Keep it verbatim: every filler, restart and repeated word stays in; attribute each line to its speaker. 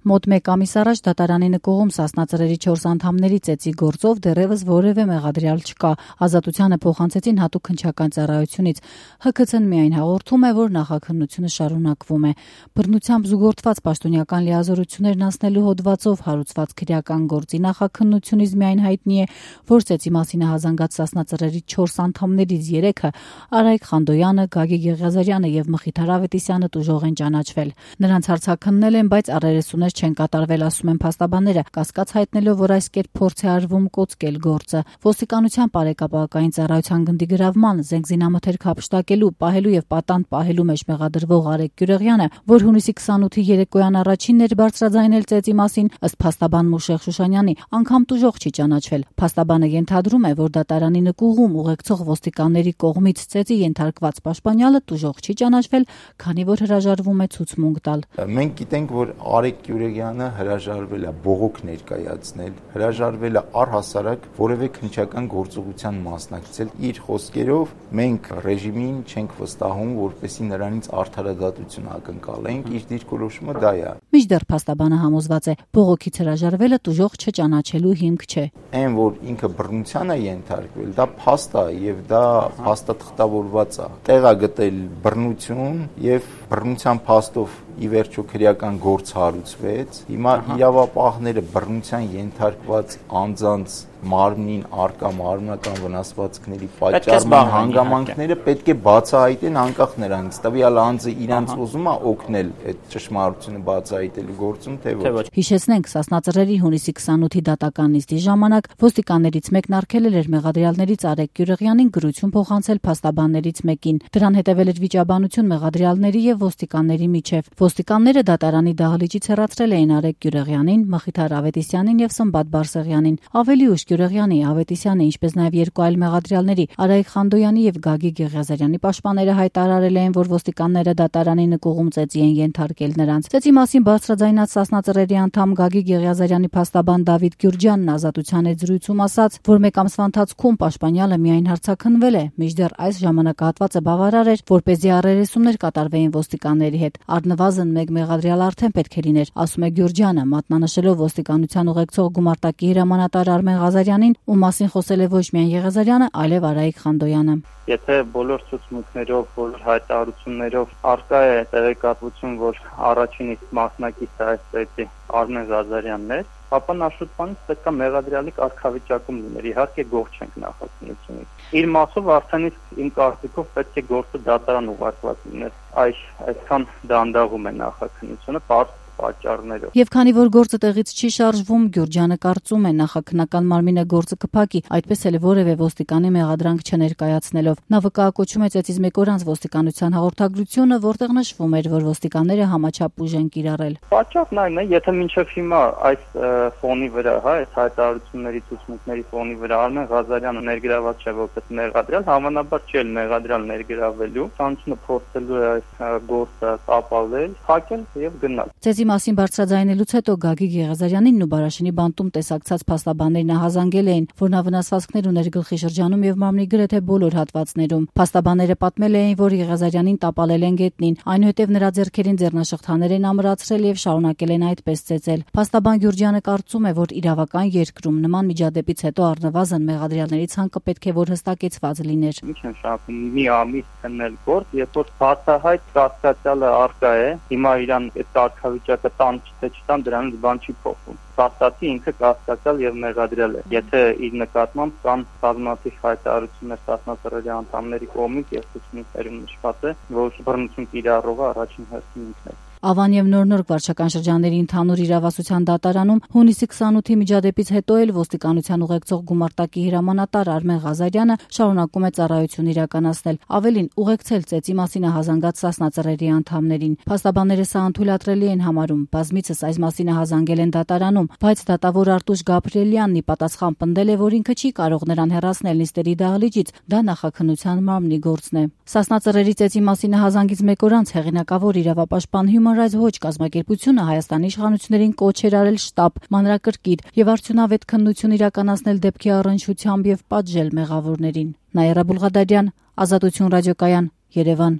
Speaker 1: Մոտ մեկ ամիս առաջ դատարանի նկողում Սասնա Ծռերի չորս անդամների ծեծի գործով դեռևս որևէ մեղադրյալ չկա։ Ազատությանը փոխանցեցին հատուկ քննչական ծառայությունից։ Հ K C-ն միայն հաղորդում է, որ նախաքննությունը շարունակվում է։ Բռնությամբ զուգորդված պաշտոնյական լիազորություններն անցնելու հոդվածով հարուցված քրեական գործի նախաքննությունից միայն հայտնի է, որ ծեծի մասին հազանգած Սասնա Ծռերի չորս անդամներից երեքը՝ Արայք Խանդոյանը, Գագիկ Եղիազարյանը եւ Մխիթար Ավետիսյանը տուժող են ճանաչվել։ Նրանց հարցաքննել են, բայց առերեսուներ չեն կատարվել, ասում են փաստաբանները, կասկած հայտնելով, որ այս կերպ փորձ է արվում կոծկել գործը։ Ոստիկանության բարեկապակային ծառայության գնդի գրավման, զենք զինամթերք հափշտակելու, պահելու եւ պատանդ պահելու մեջ մեղադրվող Արեգ Գյուրեղյանը, որ հունիսի քսանութի երեկոյան առաջինն էր բարձրաձայնել ծեծի մասին, ըստ փաստաբան Մուշեղ Շուշանյանի, անգամ տուժող չի ճանաչվել։ Փաստաբանը ենթադրում է, որ դատարանի նկուղում ուղեկցող ոստիկանների կողմից ծեծի ենթարկված պաշտպանյալը տուժող չի ճանաչվել, քանի որ հրաժարվում է ցուցմունք տալ։
Speaker 2: Մենք գիտենք, որ Արեգ Գյուրեղյանը հրաժարվել է բողոք ներկայացնել, հրաժարվել է առհասարակ որևէ քննչական գործողության մասնակցել։ Իր խոսքերով մենք ռեժիմին չենք վստահում, որպեսզի նրանից արդարադատություն ակնկալենք, իր դիրքորոշումը դա է։
Speaker 1: Մինչդեռ փաստաբանը համոզված է, բողոքից հրաժարվելը տուժող չճանաչելու հիմք չէ։
Speaker 2: Այն, որ ինքը բռնության է ենթարկվել, դա փաստ է եւ դա փաստաթղթավորված է։ Տեղ է գտել բռնություն եւ բռնության փաստով ի վերջո քրեական գործ հարուցվեց։ Հիմա իրավապահները բռնության ենթարկված անձանց մարմնին արկա մարմնական վնասվածքների պատճառման հանգամանքները պետք է բացահայտեն անկախ նրանից տվյալ անձը իրանց ուզում է օգնել այդ ճշմարտությունը բացահայտելու գործում, թե ոչ։
Speaker 1: Հիշեցնենք, Սասնա Ծռերի հունիսի քսանութի դատական նիստի ժամանակ ոստիկաններից մեկն արգելել էր մեղադրյալներից Արեգ Գյուրեղյանին գրություն փոխանցել փաստաբաններից մեկին։ Դրան հետևել էր վիճաբանություն մեղադրյալների եւ ոստիկանների միջև։ Ոստիկանները դատարանի դահլիճից հեռացրել էին Արեգ Գյուրեղյանին, Մխիթար Ավետիսյանին եւ Սմբատ Բարսեղյանին։ Ավելի ուշ Գյուրեղյանի, Ավետիսյանի, ինչպես նաև երկու այլ մեղադրյալների Արայք Խանդոյանի եւ Գագիկ Եղիազարյանի պաշտպանները հայտարարել էին, որ ոստիկանները դատարանի նկուղում ծեծի են ենթարկել նրանց։ Ծեծի մասին բարձրաձայնած Սասնա Ծռերի անդամ Գագիկ Եղիազարյանի փաստաբան Դավիթ Գյուրջյանն ազատության հետ զրույցում ասաց, որ մեկ ամսվա ընթացքում պաշտպանյալը միայն հարցաքննվել է, մինչդեռ այս ժամանակահատվածը բավարար էր, որպեսզի առերեսումներ կատարվեին ոստիկանների հետ։ Առնվազն մեկ մեղադրյալ արդեն պետք է լիներ, ասում է Գյուրջյանը, մատնանշելով ոստիկանության ուղեկցող գումարտակի հրամանատար Արմեն Ղազարյանին, ում մասին խոսել է ոչ միայն Եղիազարյանը, այլև Արայիկ Խանդոյանը։
Speaker 3: Եթե բոլոր ցուցմունքներով, բոլոր հայտարարություններով արկա է տեղեկատվություն, որ առաջին իսկ մասնակիցը այս ծեծի Արմեն Ղազարյանն է, ապա Նաշուտյանից պետք է մեղադրյալի կարգավիճակում լիներ, իհարկե գող չենք նախաքննությունից։ Իր մասով արդեն իսկ իմ կարծիքով պետք է գործը դատարան ուղարկված լիներ։ Այս այսքան դանդաղում է նախաքննությունը, պարզ պատճառներով։
Speaker 1: Եվ քանի որ գործը տեղից չի շարժվում, Գյուրջյանը կարծում է նախաքննական մարմինը գործը կփակի, այդպես էլ որևէ ոստիկանի մեղադրանք չներկայացնելով։ Նա վկայակոչում է ծեծից մեկ օր անց ոստիկանության հաղորդագրությունը, որտեղ նշվում էր, որ ոստիկանները համաչափ ուժ են կիրառել։
Speaker 3: Պատճառն այն է, եթե մինչև հիմա այս ֆոնի վրա, հա, այս հայտարարությունների ցուցմունքների ֆոնի վրա Արմեն Ղազարյանը ներգրաված չէ որպես մեղադրյալ, հավանաբար չի էլ մեղադրյալ ներգրավելու, ցանցը փորձելու է այս գործը ապավել, փակել եւ գնալ։
Speaker 1: Ծեծի մասին բարձրաձայնելուց հետո Գագիկ Եղիազարյանին ու Բարաշինի բանտում տեսակցած փաստաբաններն հազանգել էին, որ նա վնասվածքներ ուներ գլխի շրջանում եւ մարմնի գրեթե բոլոր հատվածներում։ Փաստաբանները պատմել էին, որ Եղիազարյանին տապալել են գետնին, այնուհետև նրա ձեռքերին ձեռնաշղթաներ են ամրացրել եւ շարունակել են այդպես ծեծել։ Փաստաբան Գյուրջյանը կարծում է, որ իրավական երկրում նման միջադեպից հետո առնվազն մեղադրյալների ցանկը պետք է որ հստակեցված լիներ։
Speaker 3: Ինչ են շարունակում մի ամիս քննել գործ, երբ որ բացահայտ կասկածյալը արկա է, հիմա իրան այդ կարգավիճակը տան թե չտան դրանից բան չի փոխվում։ Փաստացի ինքը կասկածյալ եւ մեղադրյալ է։ Եթե իր նկատմամբ կան բազմաթիվ հայտարարություններ Սասնա Ծռերի անդամների կողմից եւ ցուցմունքներում նշված է, որ բռնություն կիրառողը առաջին հերթին ինքն է։
Speaker 1: Ավան եւ Նոր-Նորք վարչական շրջանների ընդհանուր իրավասության դատարանում հունիսի քսանութի միջադեպից հետո էլ ոստիկանության ուղեկցող գումարտակի հրամանատար Արմեն Ղազարյանը շարունակում է ծառայություն իրականացնել, ավելին ուղեկցել ծեծի մասին հազանգած Սասնա Ծռերի անդամներին։ Փաստաբանները սա անթույլատրելի են համարում, բազմիցս այս մասին հազանգել են դատարանում, բայց դատավոր Արտուշ Գաբրիելյանն ի պատասխան պնդել է, որ ինքը չի կարող նրան հեռացնել նիստերի դահլիճից, դա նախաքննության մարմնի գործն է։ Սասնա Ծռերի ծեծի մասին հազանգից մեկ օր անց հեղինակավոր իրավապաշտպան Human Rights Watch կազմակերպությունը Հայաստանի իշխանություններին կոչ էր արել շտապ, մանրակրկիտ եւ արդյունավետ քննություն իրականացնել դեպքի առնչությամբ եւ պատժել մեղավորներին։ Նաիրա Բուլղադարյան, Ազատություն ռադիոկայան, Երևան։